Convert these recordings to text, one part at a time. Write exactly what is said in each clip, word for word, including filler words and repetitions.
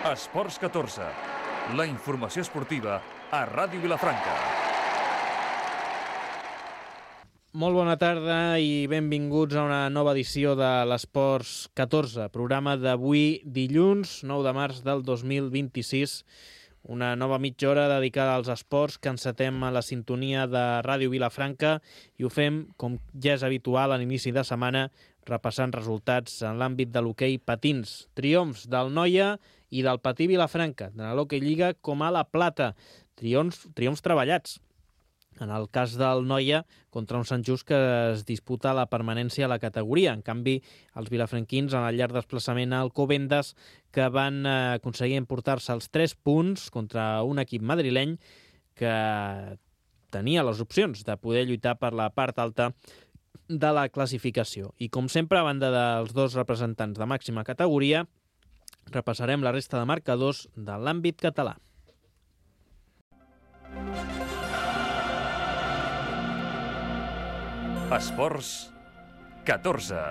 Esports catorze, la informació esportiva a Ràdio Vilafranca. Molt bona tarda i benvinguts a una nova edició de l'Esports catorze, programa d'avui dilluns, nou de març del dos mil vint-i-sis, una nova mitja hora dedicada als esports que encetem a la sintonia de Ràdio Vilafranca i ho fem, com ja és habitual, a l'inici de setmana, repassant resultats en l'àmbit de l'hoquei patins. Triomfs del Noia i del Patí Vilafranca, de l'Hoquei Lliga com a la Plata. Triomfs, triomfs treballats. En el cas del Noia, contra un Sant Just que es disputa la permanència a la categoria. En canvi, els vilafranquins, en el llarg desplaçament a Alcobendas, que van aconseguir emportar-se els tres punts contra un equip madrileny que tenia les opcions de poder lluitar per la part alta de la classificació. I com sempre, a banda dels dos representants de màxima categoria, repassarem la resta de marcadors de l'àmbit català. Esports catorze.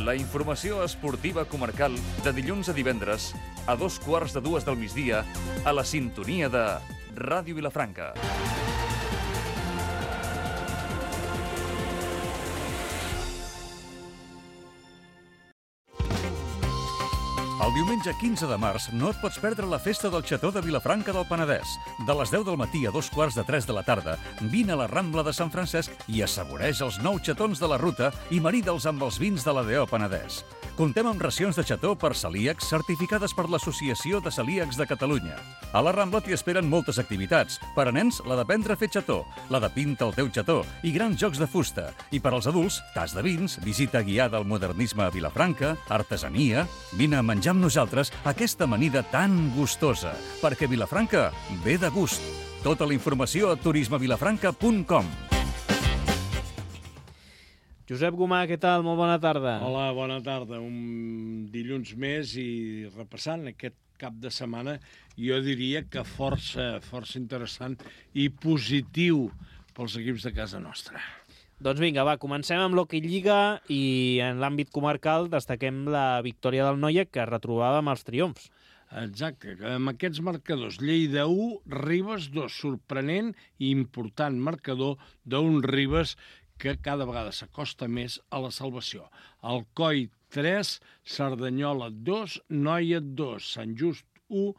La informació esportiva comarcal de dilluns a divendres a dos quarts de dues del migdia a la sintonia de Ràdio Vilafranca. El diumenge quinze de març no et pots perdre la festa del Xató de Vilafranca del Penedès. De les deu del matí a dos quarts de tres de la tarda, vine a la Rambla de Sant Francesc i assaboreix els nou xatons de la ruta i marida'ls amb els vins de l'A D O Penedès. Comptem amb racions de xató per celíacs certificades per l'Associació de Celíacs de Catalunya. A la Rambla t'hi esperen moltes activitats. Per a nens, la d'aprendre a fer xató, la de pinta el teu xató i grans jocs de fusta. I per als adults, tas de vins, visita guiada al modernisme a Vilafranca, artesania. Vine a menjar amb nosaltres aquesta amanida tan gustosa, perquè Vilafranca ve de gust. Tota la informació a turisme vilafranca punt com. Josep Gomà, què tal? Molt bona tarda. Hola, bona tarda. Un dilluns més i repassant aquest cap de setmana, jo diria que força, força interessant i positiu pels equips de casa nostra. Doncs vinga, va, comencem amb l'Hoquei Lliga i en l'àmbit comarcal destaquem la victòria del Noia que retrobava amb els triomfs. Exacte, amb aquests marcadors. Lleida u, Ribes dos, sorprenent i important marcador d'un Ribes que cada vegada s'acosta més a la salvació. Alcoi tres, Cerdanyola dos, Noia dos, Sant Just u,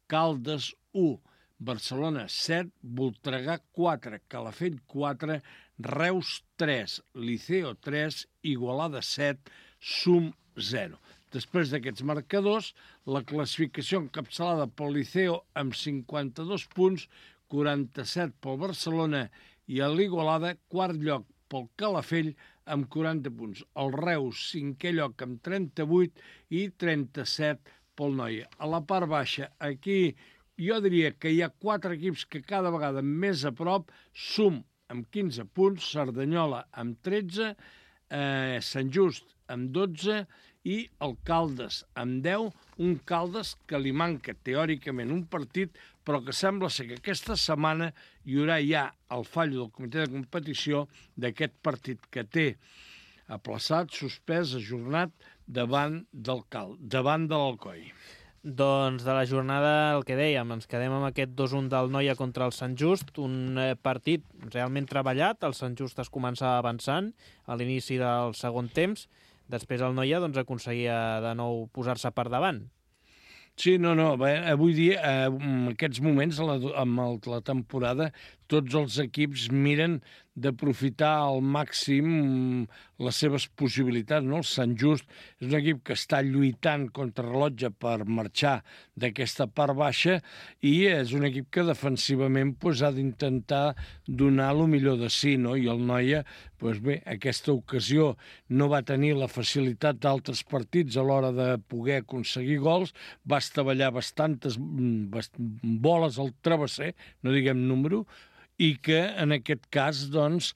Caldes u, Barcelona set, Voltregà quatre, Calafell quatre, Reus tres, Liceo tres, Igualada set, Sum zero. Després d'aquests marcadors, la classificació encapçalada pel Liceo amb cinquanta-dos punts, quaranta-set pel Barcelona i a l'Igualada, quart lloc pel Calafell amb quaranta punts. El Reus, cinquè lloc amb trenta-vuit i trenta-set pel Noia. A la part baixa, aquí jo diria que hi ha quatre equips que cada vegada més a prop, Sum amb quinze punts, Cerdanyola amb tretze, eh, Sant Just amb dotze i el Caldes amb deu, un Caldes que li manca teòricament un partit, però que sembla ser que aquesta setmana hi haurà ja el fallo del comitè de competició d'aquest partit que té aplaçat, suspès, ajornat davant del Cal, davant de l'Alcoi. Doncs de la jornada, el que dèiem, ens quedem amb aquest dos un del Noia contra el Sant Just, un partit realment treballat, el Sant Just es començava avançant a l'inici del segon temps, després el Noia doncs, aconseguia de nou posar-se per davant. Sí, no, no, bé, avui dia, eh, en aquests moments, la, amb el, la temporada, tots els equips miren d'aprofitar al màxim les seves possibilitats, no? El Sant Just és un equip que està lluitant contra rellotge per marxar d'aquesta part baixa i és un equip que defensivament pues, ha d'intentar donar el millor de si, no? I el Noia, pues, bé, aquesta ocasió no va tenir la facilitat d'altres partits a l'hora de poder aconseguir gols, va estavellar bastantes bast boles al travesser, no diguem número, i que en aquest cas doncs,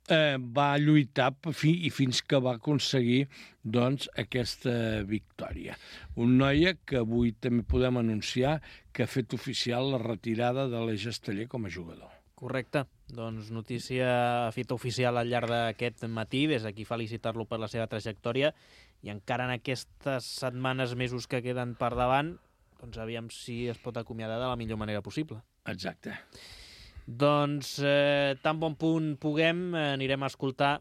eh, va lluitar fi, i fins que va aconseguir doncs, aquesta victòria. Un Noia que avui també podem anunciar que ha fet oficial la retirada de l'Eix Esteller com a jugador. Correcte. Doncs notícia feta oficial al llarg d'aquest matí, des d'aquí felicitar-lo per la seva trajectòria, i encara en aquestes setmanes, mesos que queden per davant, doncs aviam si es pot acomiadar de la millor manera possible. Exacte. Doncs eh, tan bon punt puguem, eh, anirem a escoltar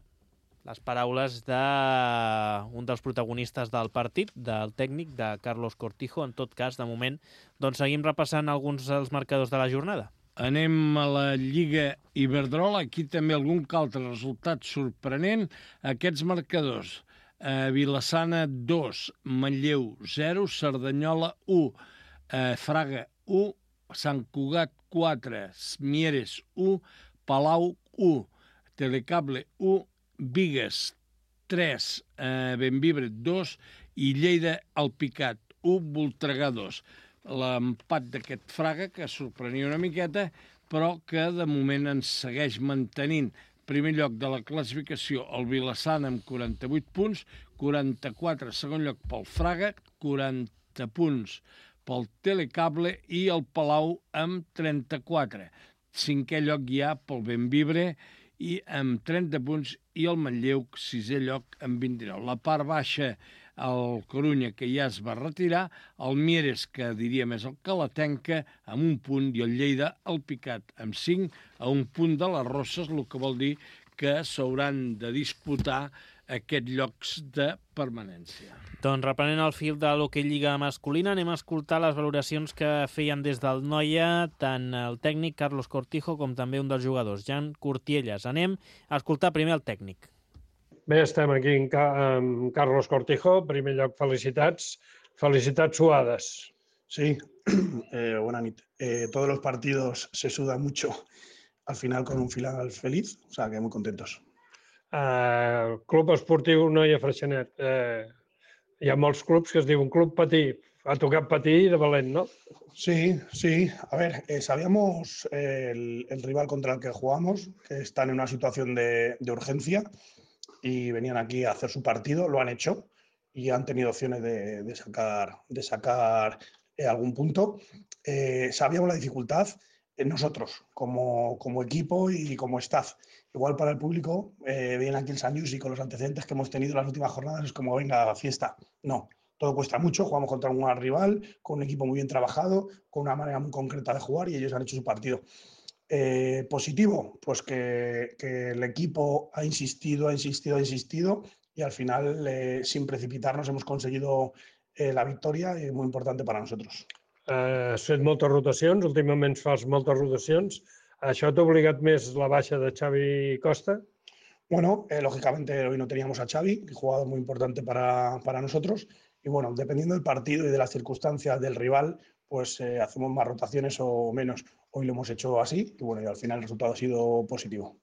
les paraules d'un dels protagonistes del partit, del tècnic, de Carlos Cortijo. En tot cas, de moment, doncs seguim repassant alguns dels marcadors de la jornada. Anem a la Lliga Iberdrola. Aquí també algun altre resultat sorprenent. Aquests marcadors. Eh, Vilassana dos, Manlleu zero, Cerdanyola u, eh, Fraga u, Sant Cugat quatre, Mieres u, Palau u, Telecable u, Bigues tres, eh, Bembibre dos i Lleida Alpicat u, Voltregà dos. L'empat d'aquest Fraga, que sorprenia una miqueta, però que de moment ens segueix mantenint primer lloc de la classificació el Vilassana amb quaranta-vuit punts, quaranta-quatre segon lloc pel Fraga, quaranta punts pel Telecable i el Palau amb trenta-quatre. Cinquè lloc ja pel Bembibre i amb trenta punts i el Manlleu, sisè lloc amb vint-i-nou. La part baixa, el Corunya, que ja es va retirar, el Mieres, que diria més el Calatenca, amb un punt, i el Lleida, el Picat, amb cinc, a un punt de les Rosses, el que vol dir que s'hauran de disputar aquests llocs de permanència. Doncs reprenent el fil de l'Hockey Lliga masculina, anem a escoltar les valoracions que feien des del Noia tant el tècnic Carlos Cortijo com també un dels jugadors, Jan Curtielles. Anem a escoltar primer el tècnic. Bé, estem aquí amb Carlos Cortijo. En primer lloc, felicitats. Felicitats suades. Sí, eh, buena nit. Eh, todos los partidos se suda mucho. Al final con un final feliz, o sea que muy contentos. Uh, Club Esportiu Noia Freixenet. Uh, hi ha molts clubs que es diuen Club Patí. Ha tocat patir de valent, ¿no? Sí, sí. A ver, eh, sabíamos eh, el, el rival contra el que jugamos, que están en una situación de, de urgencia y venían aquí a hacer su partido, lo han hecho y han tenido opciones de, de sacar, de sacar eh, algún punto. Eh, sabíamos la dificultad en nosotros, como, como equipo y como staff. Igual para el público, eh, viene aquí el San Lluís y con los antecedentes que hemos tenido en las últimas jornadas es como, venga, fiesta. No, todo cuesta mucho, jugamos contra un gran rival, con un equipo muy bien trabajado, con una manera muy concreta de jugar y ellos han hecho su partido. Eh, positivo, pues que, que el equipo ha insistido, ha insistido, ha insistido y al final, eh, sin precipitarnos, hemos conseguido eh, la victoria y muy importante para nosotros. Uh, has fet moltes rotacions, últimament fas moltes rotacions. Això t'ha obligat més la baixa de Xavi Costa? Bueno, eh, lógicamente hoy no teníamos a Xavi, un jugador muy importante para, para nosotros. Y bueno, dependiendo del partido y de las circunstancias del rival, pues eh, hacemos más rotaciones o menos. Hoy lo hemos hecho así y bueno, y al final el resultado ha sido positivo.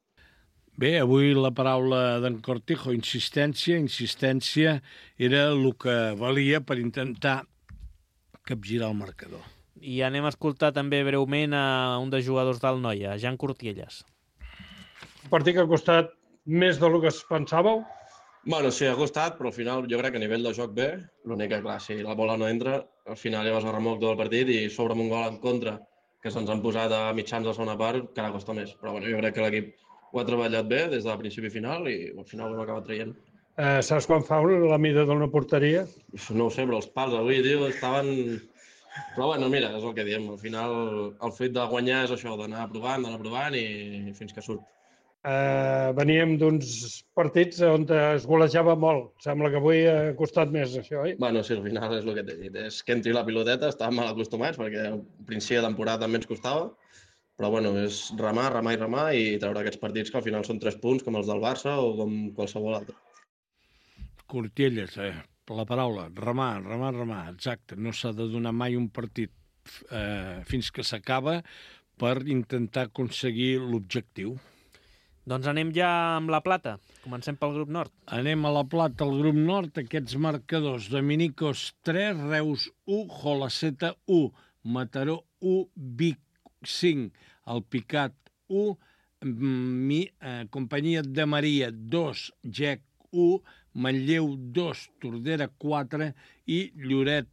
Bé, avui la paraula d'en Cortijo, insistència, insistència, era el que valia per intentar capgirar el marcador. I anem a escoltar també breument a un dels jugadors del Noia, Jan Curtielles. Un partit que ha costat més del que es pensàveu? Bueno, sí, ha costat, però al final jo crec que a nivell de joc bé. L'únic que, clar, si la bola no entra, al final ja vas a remolc tot el partit i sobre amb un gol en contra, que se'ns han posat a mitjans de la segona part, que ara costa més. Però bueno, jo crec que l'equip ho ha treballat bé des del principi final i al final ho hem acabat traient. Eh, saps quan fa la mida d'una porteria? No ho sé, però els pals avui, tio, estaven... Però bueno, mira, és el que diem. Al final, el fet de guanyar és això, d'anar provant, d'anar provant i fins que surt. Eh, veníem d'uns partits on es golejava molt. Sembla que avui ha costat més, això, oi? Bueno, sí, al final és el que t'he dit. És que entri la piloteta, estàvem mal acostumats, perquè al principi de temporada també ens costava. Però bueno, és remar, remar i remar i treure aquests partits que al final són tres punts, com els del Barça o com qualsevol altre. Curtielles, eh? La paraula, remar, remar, remar, exacte. No s'ha de donar mai un partit eh, fins que s'acaba per intentar aconseguir l'objectiu. Doncs anem ja amb la plata. Comencem pel grup nord. Anem a la plata, al grup nord, aquests marcadors. Dominicos tres, Reus u, Jolaceta u, Mataró u, Vic cinc, Alpicat u, mi, eh, Companyia de Maria dos, Gec u, Manlleu dos, Tordera quatre i Lloret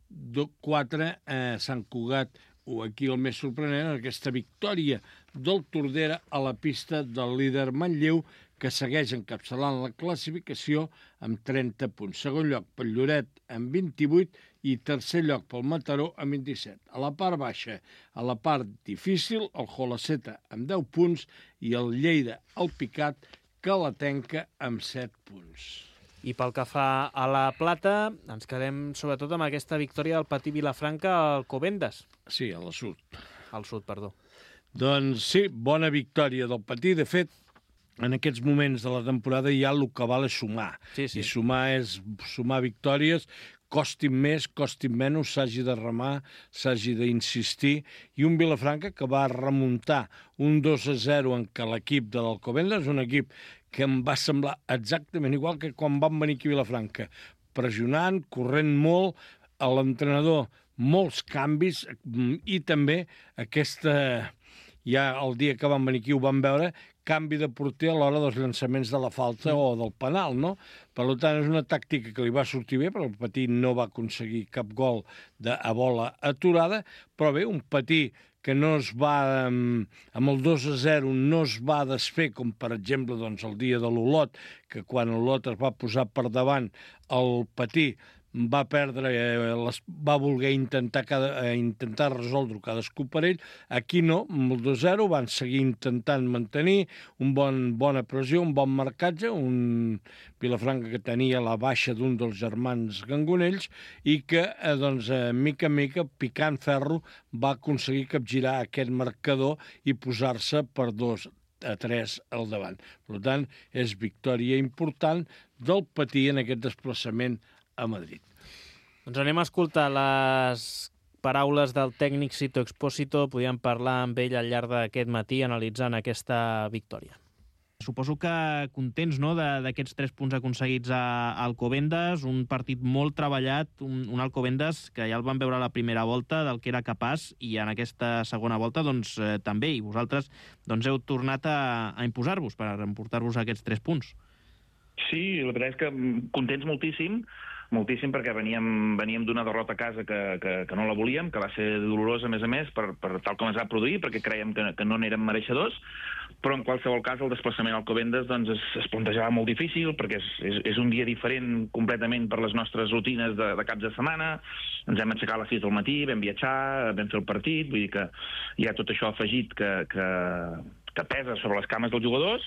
quatre, eh, Sant Cugat u. Aquí el més sorprenent és aquesta victòria del Tordera a la pista del líder Manlleu, que segueix encapçalant la classificació amb trenta punts. Segon lloc pel Lloret amb vint-i-vuit i tercer lloc pel Mataró amb vint-i-set. A la part baixa, a la part difícil, el Jolaceta amb deu punts i el Lleida, el Picat, que la tanca amb set punts. I pel que fa a la plata, ens quedem sobretot amb aquesta victòria del Patí Vilafranca al Covendes. Sí, a la sud. Al sud, perdó. Doncs sí, bona victòria del Patí. De fet, en aquests moments de la temporada ja el que val és sumar. Sí, sí. I sumar és sumar victòries, costin més, costin menys, s'hagi de remar, s'hagi d'insistir. I un Vilafranca que va remuntar un dos a zero en què l'equip de l'Alcobendas, un equip que em va semblar exactament igual que quan van venir aquí a Vilafranca, pressionant, corrent molt, a l'entrenador molts canvis i també aquesta, ja el dia que van venir aquí ho van veure, canvi de porter a l'hora dels llançaments de la falta o del penal, no? Per tant, és una tàctica que li va sortir bé, però el Patí no va aconseguir cap gol de, a bola aturada, però bé, un Patí que no es va, amb el dos a zero, no es va desfer, com per exemple doncs, el dia de l'Olot, que quan l'Olot es va posar per davant, el Patí va perdre, eh, les, va voler intentar, cada, eh, intentar resoldre cadascú per ell. Aquí no, amb el dos a zero van seguir intentant mantenir un bon, bona pressió, un bon marcatge, un Vilafranca que tenia la baixa d'un dels germans Gangonells i que, eh, doncs, eh, mica en mica, picant ferro, va aconseguir capgirar aquest marcador i posar-se per dos a tres al davant. Per tant, és victòria important del Patí en aquest desplaçament a Madrid. Doncs anem a escoltar les paraules del tècnic Sito Expósito. Podíem parlar amb ell al llarg d'aquest matí analitzant aquesta victòria. Suposo que contents, no?, d'aquests tres punts aconseguits a Alcobendas, un partit molt treballat, un, un Alcobendas que ja el vam veure a la primera volta del que era capaç i en aquesta segona volta doncs eh, també, i vosaltres doncs heu tornat a, a imposar-vos per emportar-vos aquests tres punts. Sí, la veritat és que contents moltíssim, moltíssim perquè veníem, veníem d'una derrota a casa que, que, que no la volíem, que va ser dolorosa, a més a més, per, per tal com es va produir, perquè creiem que, que no n'érem mereixedors, però en qualsevol cas el desplaçament al Alcobendas doncs, es, es plantejava molt difícil, perquè és, és, és un dia diferent completament per les nostres rutines de, de caps de setmana. Ens hem aixecat a les sis del matí, vam viatjar, vam fer el partit, vull dir que hi ha tot això afegit que, que, que pesa sobre les cames dels jugadors,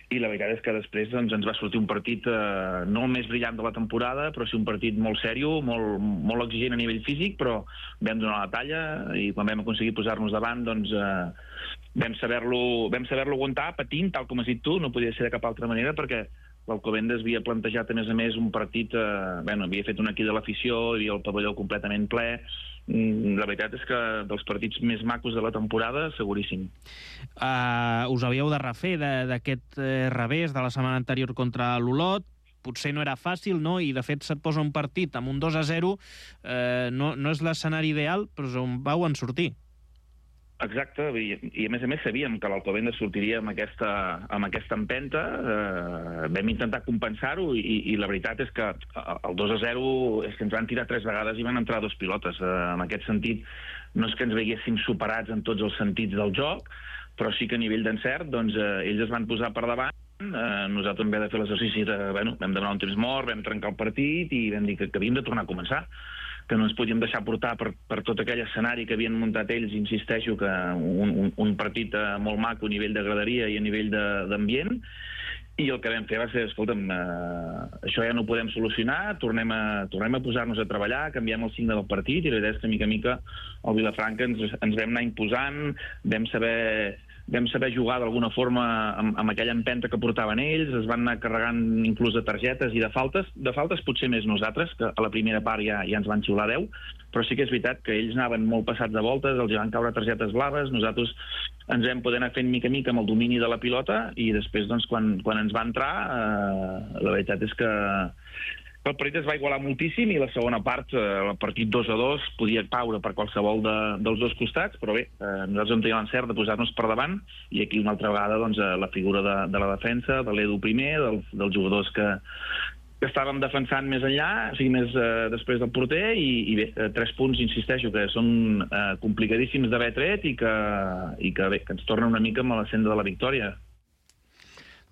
i la veritat és que després doncs, ens va sortir un partit eh, no el més brillant de la temporada, però sí un partit molt sèrio, molt, molt exigent a nivell físic, però vam donar la talla i quan vam aconseguir posar-nos davant doncs, eh, vam saber-lo vam saber-lo aguantar, patint, tal com has dit tu, no podia ser de cap altra manera, perquè l'Alcobendas havia plantejat, a més a més, un partit... Eh, bueno, havia fet un aquí de l'afició, hi havia el pavelló completament ple. La veritat és que dels partits més macos de la temporada, seguríssim. Uh, us havíeu de refer d'aquest eh, revés de la setmana anterior contra l'Olot. Potser no era fàcil, no? I, de fet, se't posa un partit amb un dos a zero. Eh, no, no és l'escenari ideal, però on vau en sortir. Exacte, i, i a més a més sabíem que l'Alcobendas sortiria amb aquesta, amb aquesta empenta, eh, vam intentar compensar-ho i, i la veritat és que el dos a zero és que ens van tirar tres vegades i van entrar dos pilotes. Eh, en aquest sentit, no és que ens veiéssim superats en tots els sentits del joc, però sí que a nivell d'encert doncs, eh, ells es van posar per davant. Eh, nosaltres vam haver de fer l'exercici de, bueno, vam demanar un temps mort, vam trencar el partit i vam dir que, que havíem de tornar a començar, que no ens podíem deixar portar per, per tot aquell escenari que havien muntat ells. Insisteixo que un, un, un partit molt maco a nivell de graderia i a nivell d'ambient, i el que vam fer va ser, escolta'm, eh, això ja no ho podem solucionar, tornem a, tornem a posar-nos a treballar, canviem el signe del partit, i la veritat és que mica a mica el Vilafranca ens, ens vam anar imposant, vam saber... vam saber jugar d'alguna forma amb, amb aquella empenta que portaven ells, es van anar carregant inclús de targetes i de faltes, de faltes potser més nosaltres, que a la primera part ja, ja ens van xiular deu, però sí que és veritat que ells anaven molt passats de voltes, els van caure targetes blaves, nosaltres ens vam poder anar fent mica a mica amb el domini de la pilota, i després, doncs, quan, quan ens va entrar, eh, la veritat és que el partit es va igualar moltíssim i la segona part, eh, el partit dos a dos, podia caure per qualsevol de, dels dos costats, però bé, eh, nosaltres vam tenir l'encert de posar-nos per davant, i aquí una altra vegada doncs, la figura de, de la defensa, de l'Edu primer, del, dels jugadors que, que estàvem defensant més enllà, o sigui, més eh, després del porter, i, i bé, eh, tres punts, insisteixo, que són eh, complicadíssims d'haver tret i que, i que, bé, que ens torna una mica amb la senda de la victòria.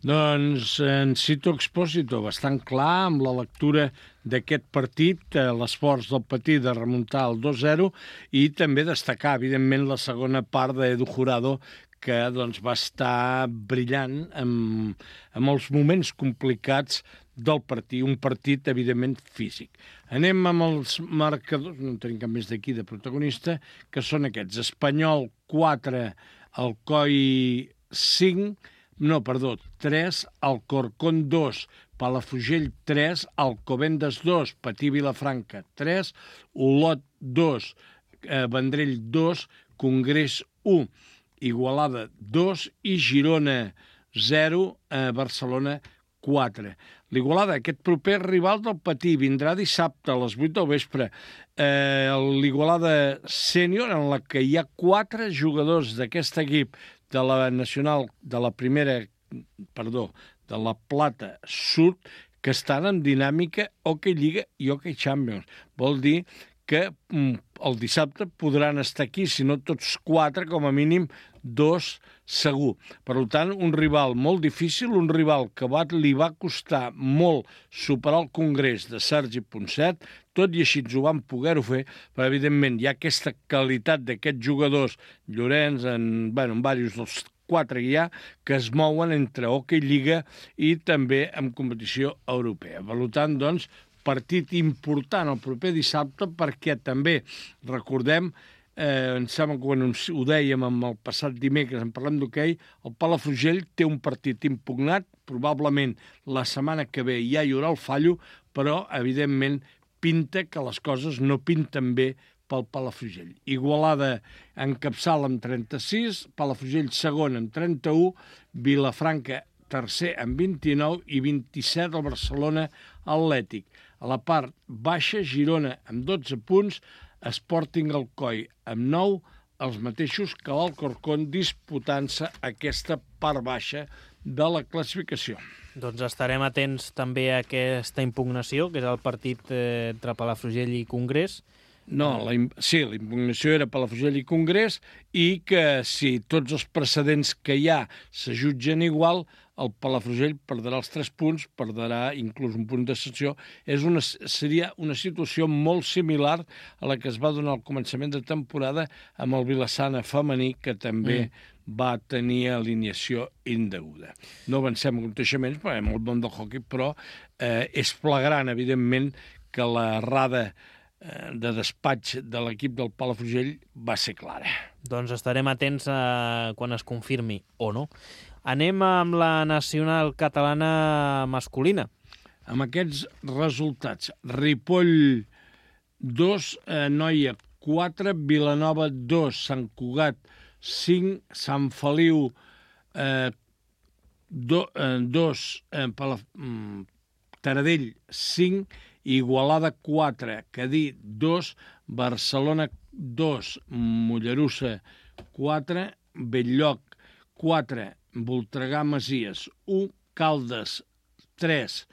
Doncs en Cito Expósito, bastant clar amb la lectura d'aquest partit, eh, l'esforç del Patí de remuntar el dos zero i també destacar, evidentment, la segona part d'Edu Jurado, que doncs, va estar brillant en, en els moments complicats del partit, un partit, evidentment, físic. Anem amb els marcadors, no en tenim cap més d'aquí de protagonista, que són aquests. Espanyol quatre, Alcoi cinc, no, perdó, tres, Alcorcón dos, Palafrugell tres, Alcobendas dos, Patí Vilafranca tres, Olot dos, eh, Vendrell dos, Congrés u, Igualada dos i Girona zero, eh, Barcelona quatre. L'Igualada, aquest proper rival del Patí, vindrà dissabte a les vuit del vespre. Eh, L'Igualada sènior, en la que hi ha quatre jugadors d'aquest equip de la nacional, de la primera, perdó, de la Plata Sud, que estan en dinàmica Hockey Lliga i Hockey Champions. Vol dir que mm, el dissabte podran estar aquí, si no tots quatre, com a mínim dos segur. Per tant, un rival molt difícil, un rival que va, li va costar molt superar el Congrés de Sergi Ponset, tot i així ho van poder-ho fer, però evidentment hi ha aquesta qualitat d'aquests jugadors, Llorenç, en, bueno, en diversos dels quatre que hi ha, que es mouen entre Hockey Lliga i també en competició europea. Per tant, doncs, partit important el proper dissabte, perquè també, recordem, eh, em sembla que quan ho dèiem amb el passat dimecres, en parlem d'hoquei, el Palafrugell té un partit impugnat, probablement la setmana que ve ja hi haurà el fallo, però, evidentment, pinta que les coses no pinten bé pel Palafrugell. Igualada encapçala amb trenta-sis, Palafrugell segon amb trenta-u, Vilafranca tercer amb vint-i-nou i vint-i-set el Barcelona Atlètic. A la part baixa, Girona amb dotze punts, Sporting Alcoi amb nou, els mateixos que l'Alcorcón disputant-se aquesta part baixa de la classificació. Doncs estarem atents també a aquesta impugnació, que és el partit eh, entre Palafrugell i Congrés. No, la, sí, la impugnació era Palafrugell i Congrés, i que si tots els precedents que hi ha se jutgen igual, el Palafrugell perdrà els tres punts, perdrà inclús un punt de sanció. És una, seria una situació molt similar a la que es va donar al començament de temporada amb el Vilassana femení, que també mm. va tenir alineació indeguda. No avancem a aconteixements, perquè en el món del hoquei, però eh, és flagrant, evidentment, que l'errada de despatx de l'equip del Palafrugell va ser clara. Doncs estarem atents a quan es confirmi o no. Anem amb la nacional catalana masculina. Amb aquests resultats, Ripoll dos, eh, Noia quatre, Vilanova dos, Sant Cugat cinc, Sant Feliu eh, do, eh, dos, eh, Palaf... Taradell cinc, Igualada quatre, Cadí dos, Barcelona dos, Mollerussa quatre, Bell-lloc quatre, Voltregà Masies u, Caldes tres,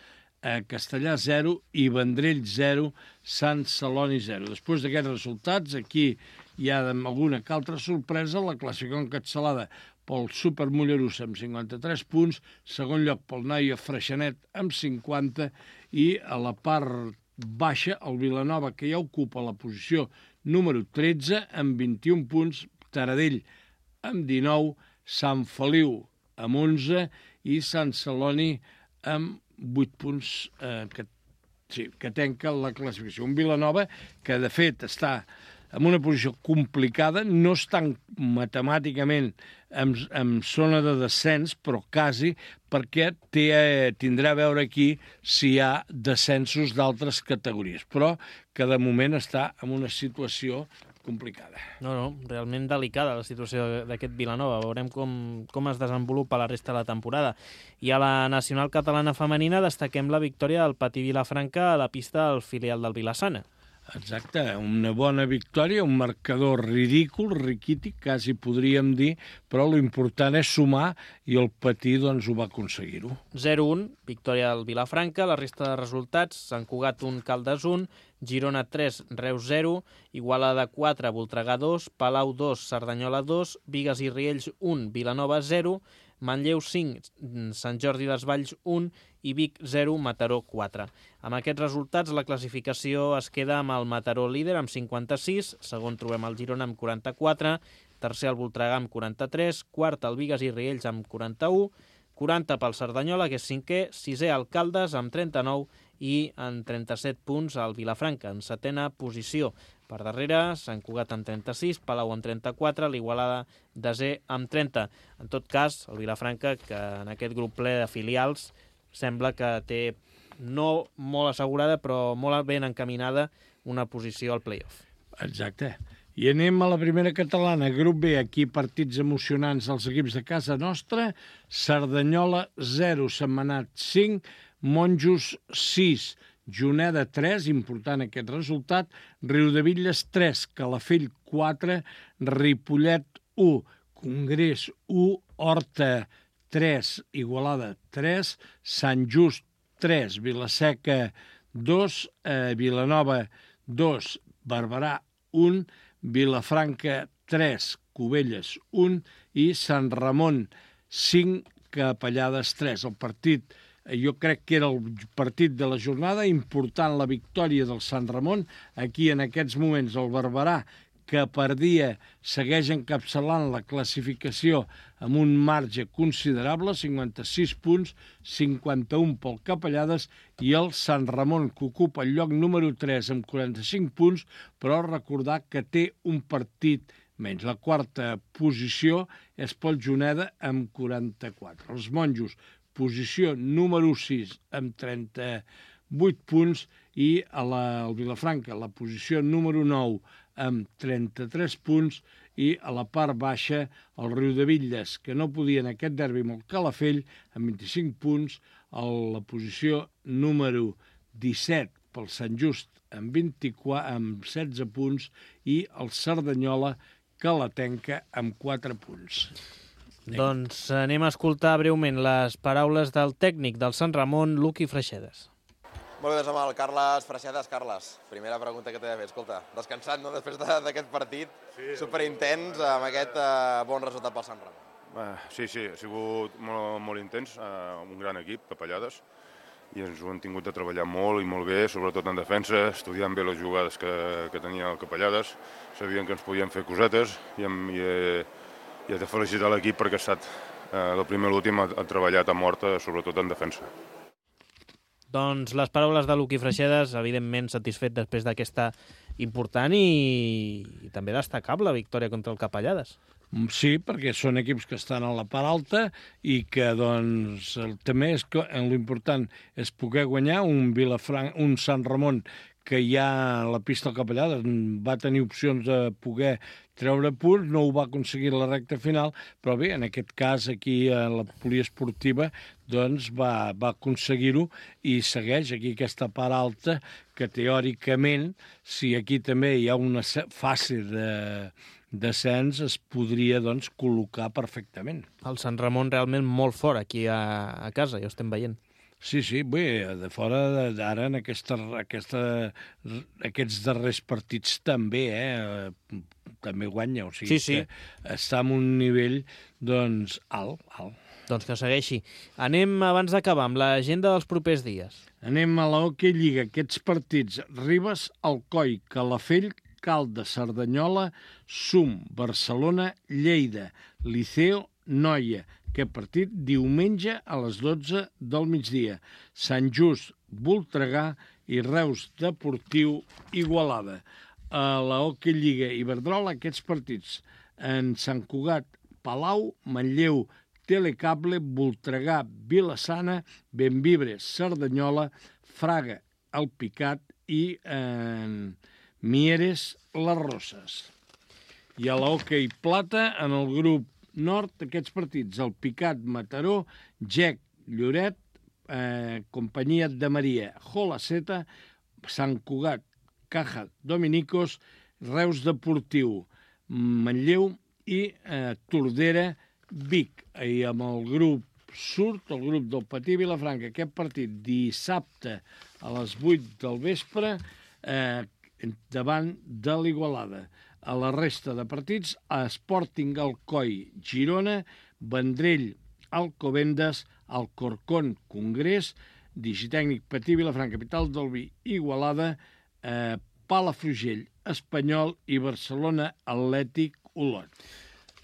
Castellà zero i Vendrell zero, Sant Celoni zero. Després d'aquests resultats, aquí hi ha alguna que altra sorpresa, la classificació encapçalada pel Super Mollerussa amb cinquanta-tres punts, segon lloc pel Noia Freixenet amb cinquanta, i a la part baixa el Vilanova, que ja ocupa la posició número tretze amb vint-i-un punts, Taradell amb dinou, Sant Feliu amb onze i Sant Celoni amb vuit punts eh, que, sí, que tanca la classificació. Un Vilanova que, de fet, està en una posició complicada, no estan matemàticament en, en zona de descens, però quasi, perquè té, tindrà a veure aquí si hi ha descensos d'altres categories, però que de moment està en una situació complicada. No, no, realment delicada la situació d'aquest Vilanova. Veurem com, com es desenvolupa la resta de la temporada. I a la nacional catalana femenina destaquem la victòria del Patí Vilafranca a la pista del filial del Vilassana. Exacte, una bona victòria, un marcador ridícul, riquític, quasi podríem dir, però l'important és sumar i el Patí doncs, ho va aconseguir-ho. zero un, victòria del Vilafranca. La resta de resultats: Sant Cugat un, Caldes un, Girona tres, Reus zero, Igualada quatre, Voltregà dos, Palau dos, Cerdanyola dos, Bigues i Riells un, Vilanova zero, Manlleu cinc, Sant Jordi Desvalls un i Vic zero, Mataró quatre. Amb aquests resultats, la classificació es queda amb el Mataró líder amb cinquanta-sis, segon trobem el Girona amb quaranta-quatre, tercer el Voltregà amb quaranta-tres, quart el Bigues i Riells amb quaranta-u, quaranta pel Cerdanyola, que és cinquè, sisè el Caldes amb trenta-nou i en trenta-set punts el Vilafranca, en setena posició. Per darrere, Sant Cugat amb trenta-sis, Palau amb trenta-quatre, l'Igualada desè amb trenta. En tot cas, el Vilafranca, que en aquest grup ple de filials sembla que té no molt assegurada, però molt ben encaminada una posició al play-off. Exacte. I anem a la primera catalana, grup B, aquí partits emocionants dels equips de casa nostra. Cerdanyola zero, Sentmenat cinc, Monjos sis, Juneda tres, important aquest resultat, Riudebitlles tres, Calafell quatre, Ripollet u, Congrés u, Horta tres, Igualada tres, Sant Just tres, Vilaseca dos, eh, Vilanova dos, Barberà un, Vilafranca tres, Cubelles un i Sant Ramon cinc, Capellades tres. El partit, jo crec que era el partit de la jornada, important la victòria del Sant Ramon. Aquí en aquests moments el Barberà, que per dia segueix encapçalant la classificació amb un marge considerable, cinquanta-sis punts, cinquanta-un pel Capellades, i el Sant Ramon, que ocupa el lloc número tres amb quaranta-cinc punts, però recordar que té un partit menys. La quarta posició és pel Juneda amb quaranta-quatre. Els Monjos, posició número sis amb trenta-vuit punts, i a la, el Vilafranca, la posició número nou amb trenta-tres punts, i a la part baixa el Riudebitlles, que no podia en aquest derbi amb el Calafell, amb vint-i-cinc punts, a la posició número disset pel Sant Just amb, vint-i-quatre, amb setze punts, i el Cerdanyola, que la tenca amb quatre punts. Doncs anem a escoltar breument les paraules del tècnic del Sant Ramon, Luqui Freixedes. Molt bé, doncs amb el Carles Freixedes. Carles, primera pregunta que t'he de fer. Escolta, descansat, no?, després d'aquest partit, sí, superintens, amb aquest uh, bon resultat pel Sant Ramon. Uh, sí, sí, ha sigut molt, molt intens, uh, un gran equip, Capellades, i ens ho hem tingut de treballar molt i molt bé, sobretot en defensa, estudiant bé les jugades que, que tenia el Capellades. Sabien que ens podien fer cosetes, i, hem, i, he, i he de felicitar l'equip perquè ha estat, uh, del primer a l'últim, ha, ha treballat a mort, sobretot en defensa. Doncs les paraules de Luqui Freixedes, evidentment satisfet després d'aquesta important i, i també destacable victòria contra el Capellades. Sí, perquè són equips que estan a la part alta i que, doncs, el, també és que l'important és poder guanyar un Vilafranca, un Sant Ramon, que ja a la pista del Capellades va tenir opcions de poder treure punts, no ho va aconseguir a la recta final, però bé, en aquest cas aquí a la poliesportiva doncs va, va aconseguir-ho i segueix aquí aquesta part alta que teòricament, si aquí també hi ha una fase de descens, es podria doncs col·locar perfectament. El Sant Ramon realment molt fort aquí a, a casa, ja ho estem veient. Sí, sí, bé, de fora d'ara en aquesta, aquesta, aquests darrers partits també, eh? També guanya, o sigui, sí, sí. Que està en un nivell, doncs, alt, alt. Doncs que segueixi. Anem, abans d'acabar, amb l'agenda dels propers dies. Anem a la Hockey Lliga, aquests partits. Ribes, Alcoi, Calafell, Caldes, Cerdanyola, Sum, Barcelona, Lleida, Liceo, Noia. Aquest partit diumenge a les dotze del migdia. Sant Just, Voltregà i Reus Deportiu, Igualada. A la Hockey Lliga Iberdrola, aquests partits. En Sant Cugat, Palau, Manlleu, Telecable, Voltregà, Vilassana, Benvibre, Cerdanyola, Fraga, El Picat i en Mieres, Les Roses. I a la Hockey Plata, en el grup nord, aquests partits, el Picat, Mataró, Gec, Lloret, eh, Companyia de Maria, Jolaceta, Sant Cugat, Unicaja Dominicos, Reus Deportiu, Manlleu i eh, Tordera Vic. I amb el grup surt, el grup del Patí Vilafranca, aquest partit dissabte a les vuit del vespre eh, davant de l'Igualada. A la resta de partits, Sporting Alcoi Girona, Vendrell Alcobendas, Alcorcón Congrés, Digitècnic Patí Vilafranca, Capital del Vi, Igualada, eh, Palafrugell Espanyol i Barcelona Atlètic Olot.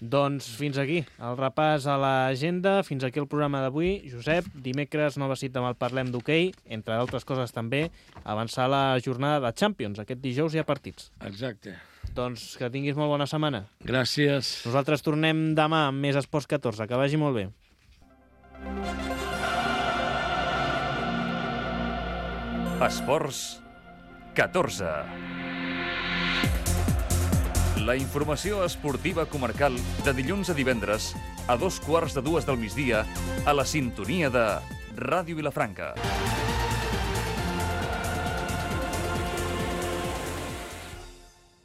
Doncs fins aquí el repàs a l'agenda, fins aquí el programa d'avui. Josep, dimecres nova cita amb el Parlem d'Hoquei, entre d'altres coses també avançar la jornada de Champions. Aquest dijous hi ha partits. Exacte. Doncs que tinguis molt bona setmana. Gràcies. Nosaltres tornem demà amb més Esports catorze. Que vagi molt bé. Esports catorze. La informació esportiva comarcal de dilluns a divendres a dos quarts de dues del migdia a la sintonia de Ràdio Vilafranca.